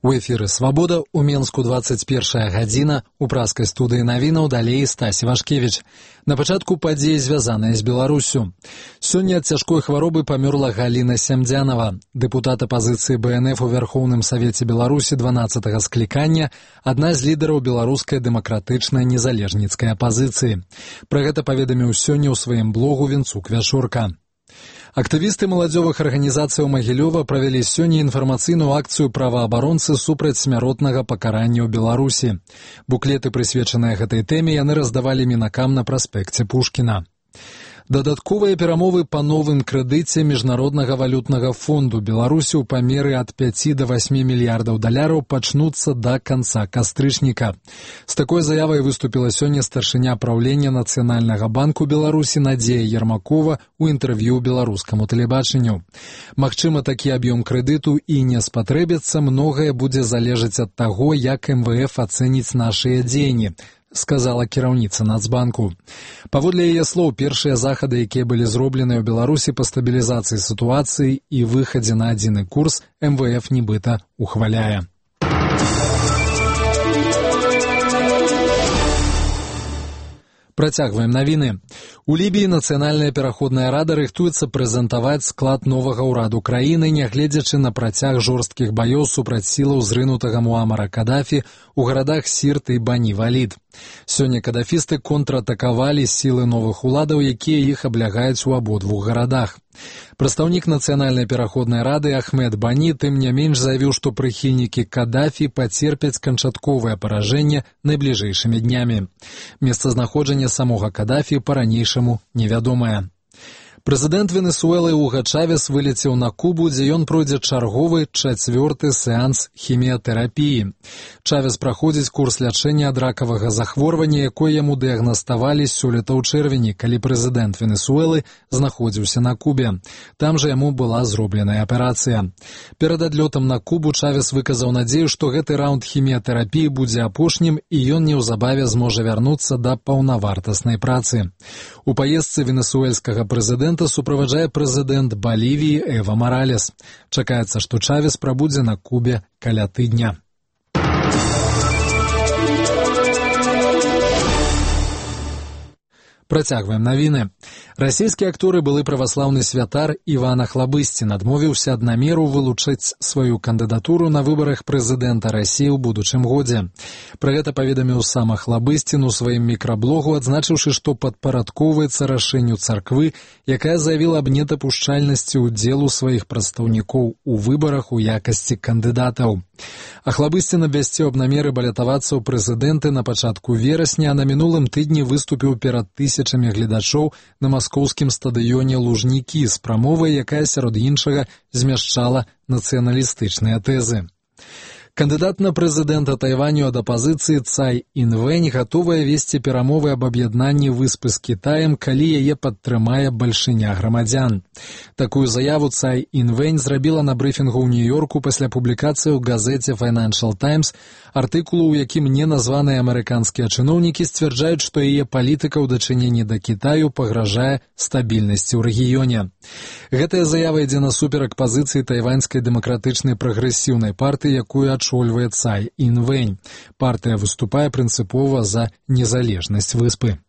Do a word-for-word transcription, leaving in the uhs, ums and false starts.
У эфіры «Свабода» у Менску двадцать першая гадзіна, у праскай студыі навінаў далей Стась Івашкевіч. На пачатку падзеі, звязаныя з Беларусю. Сёння ад цяжкой хваробы памёрла Галіна Сямдзянова, дэпутат апазіцыі Бэ Эн Эф у Вярхоўным Савеце Беларусі дванаццатага склікання, адна з лідараў беларускай дэмакратычнай незалежніцкай апазіцыі. Пра гэта паведаміў сёння ў сваім блогу Вінцук Вяшурка. Актывісты маладзёвых арганізацыяў Магілёва правялі сёння інфармацыйную акцыю праваабаронцы супраць смяротнага пакарання ў Беларусі. Буклеты, прысвечаныя гэтай тэме, яны раздавалі мінакам на праспекце Пушкіна. Дадатковыя перамовы па новым крэдыце Міжнароднага валютнага фонду Беларусі ў памеры ад пяці да васьмі мільярдаў даляраў пачнуцца да канца кастрычніка. З такой заявай выступіла сёння старшыня праўлення Нацыянальнага банку Беларусі Надзея Ермакова ў інтэрв'ю беларускаму тэлебачанню. Магчыма, такі аб'ём крэдыту і не спатрэбіцца, многае будзе залежаць ад таго, як Эм Вэ Эф ацэніць нашыя дзеянні, сказала кіраўніца Нацбанку. Паводле яе слоў, першыя захады, якія былі зроблены ў Беларусі па стабілізацыі сітуацыі і выхадзе на адзіны курс, Эм Вэ Эф нібыта ухваляе. Працягваем навіны. У Лібіі Нацыянальная пераходная рада рыхтуецца прэзентаваць склад новага ўраду краіны, нягледзячы на працяг жорсткіх баёў супраць сілаў зрынутага Муамара Кадафі ў гарадах Сірт і Бані-Валід. Сёння кадафісты контратакавалі сілы новых уладаў, якія іх аблягаюць у абодвух гарадах. Прадстаўнік Нацыянальнай пераходнай рады Ахмед Бані тым не менш заявіў, што прыхільнікі Кадафі пацерпяць канчатковае паражэнне найбліжэйшымі днямі. Месцазнаходжанне самога Кадафі па-ранейшаму невядомае. Прэзідэнт Венесуэлы Уга Чавес вылецеў на Кубу, дзе ён пройдзе чарговы чацвёрты сеанс хіміятэрапіі. Чавес праходзіць курс лячэння ад ракавага захворвання, якое яму дыягнаставалі сёлета ў чэрвені, калі прэзідэнт Венесуэлы знаходзіўся на Кубе. Там жа яму была зробленая аперацыя. Перад адлётам на Кубу Чавес выказаў надзею, што гэты раунд хіміятэрапіі будзе апошнім і ён неўзабаве зможа вярнуцца да паўнавартаснай працы. У паездцы венесуэльскага прэзідэнта суправаджае прэзідэнт Балівіі Эва Маралес. Чакаецца, што Чавес прабудзе на Кубе каля тыдня. Працягваем навіны. Расійскі актор і былы праваслаўны святар Іван Ахлабысцін адмовіўся ад намеру вылучыць сваю кандыдатуру на выбарах прэзідэнта Расіі ў будучым годзе. Пра гэта паведаміў сам Ахлабысцін у сваім мікраблогу, адзначыўшы, што падпарадкоўваецца рашэнню царквы, якая заявіла аб недапушчальнасці ўдзелу сваіх прадстаўнікоў у выбарах у якасці кандыдатаў. Ахлабысцін абвясціў аб намеры балятавацца ў прэзідэнты на пачатку верасня, а на мінулым тыдні выступіў перад тысячамі гледачоў на маскоўскім стадыёне Лужнікі з прамовай, якая, сярод іншага, змяшчала нацыяналістычныя тэзы. Кандыдат на прэзідэнта Тайваню ад апазіцыі Цай Інвэнь гатовая весці перамовы аб аб'яднанні выспы з Кітаем, калі яе падтрымае бальшыня грамадзян. Такую заяву Цай Інвэнь зрабіла на брыфінгу ў Нью-Йорку пасля публікацыі ў газеце Financial Times артыкулу, у якім неназваныя амерыканскія чыноўнікі сцвярджаюць, што яе палітыка ў дачыненні да Кітаю пагражае стабільнасці ў рэгіёне. Гэтая заява ідзе насуперак пазіцыі тайваньскай дэмакратычнай прагрэсіўнай партыі, якую адчольвае Цай Інвэнь. Партыя выступае прынцыпова за незалежнасць выспы.